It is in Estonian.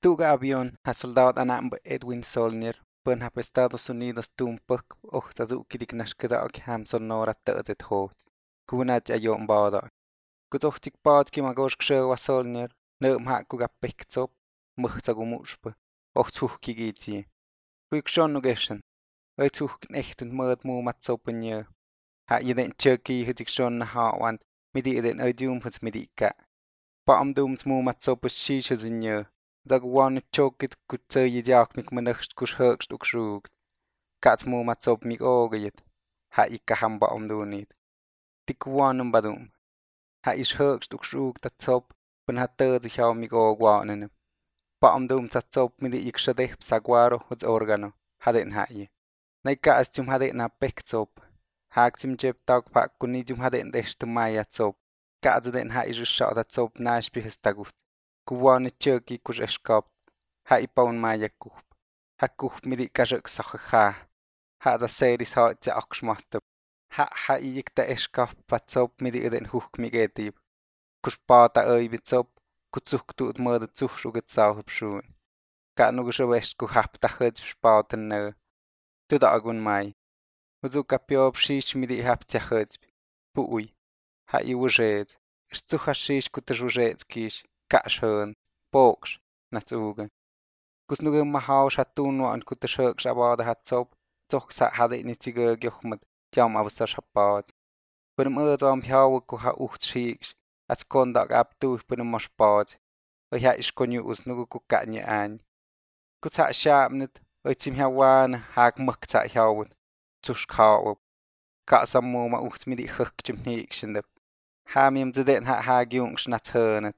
Tuga avión ha soldado anambe Edwin Solnier pön ha Estados Unidos tumpuk tazukidik nashkedak ham sonora tăzet hot. Kunat ayon bada. Kutochtik paatki magosh kshewa Solnier neum ha kuga pektsop muhtagumushpe. Ochtuhki gitsi. Kuik shonu geshen. Oituhk echten mud mu matsopenje. Ha jeden tjöki hitik shon na hawand midi eden oidum hits midika. Paam dooms mu matsopes shishes in je. Dag one chokit kutse jak mik menachst kus höchst ukschrugt. Kats mu matsop mik ogejet. Ha ikka ham baam do niet. Tik one badum. Ha is höchst ukschrugt dat zop ben hat sich hau mik ogwanen. Paam doom zatsop midi ik shadeh psaguaro huts organo. Haden ha je. Nei kaas zum haden na pektsop. Haak zum jeb tag pak kuni zum haden deshte maya tsop. Kaas den ha is shau dat zop nash bihestagut. Kuwane tjöki kus eskap. Ha ipaun maya kup. Ha kup midi kajak sakha. Ha da seris ha tse aksmastep. Ha ik da eskap patsop midi eden huk migetib. Kus pata oi bitsop. Kutsuk tuut mörde zuchschuget sauhub schuun. Ka nugus west ku hap da hëds spauten nö. Tu da agun mai. Uzu kapiob shish midi hap tse hëds. Pui. Ha I wujez. Stucha shish ku te jujez kish. Ka schön. Boks. Nats ugen. Kus nugu mahau shatun wa an ku te shök shabada hat zop. Zoch sa hade ni zige gjochmet. Jam abusar shabad. Benim am piawe ku ha ucht shiks. Als kondak ab tu benim moshbad. Oi ha is konju us nugu ku kanye an. Ku sa shabnet. Oi zim hawan haak muk sa hawet. Tush kawep. Ka samu ma ucht midi huk jim hikshendep. Ha miem zeden ha gyung schnat hönet.